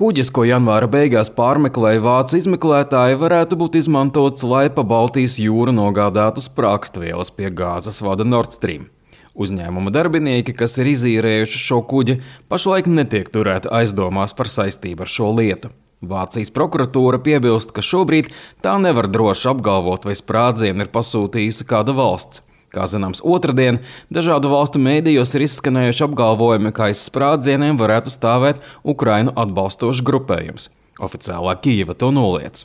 Kuģis, ko janvāra beigās pārmeklēja vācu izmeklētāji, varētu būt izmantots, lai pa Baltijas jūru nogādātu sprāgstvielas pie gāzes vada Nord Stream. Uzņēmuma darbinieki, kas ir izīrējuši šo kuģi, pašlaik netiek turēti aizdomās par saistību ar šo lietu. Vācijas prokuratūra piebilst, ka šobrīd tā nevar droši apgalvot, vai sprādzienu ir pasūtījusi kāda valsts. Kā zināms, otrdien dažādu valstu mēdījos ir izskanējuši apgalvojumi, ka aiz sprādzieniem varētu stāvēt Ukrainu atbalstošs grupējums. Oficiālā Kijeva to noliedz.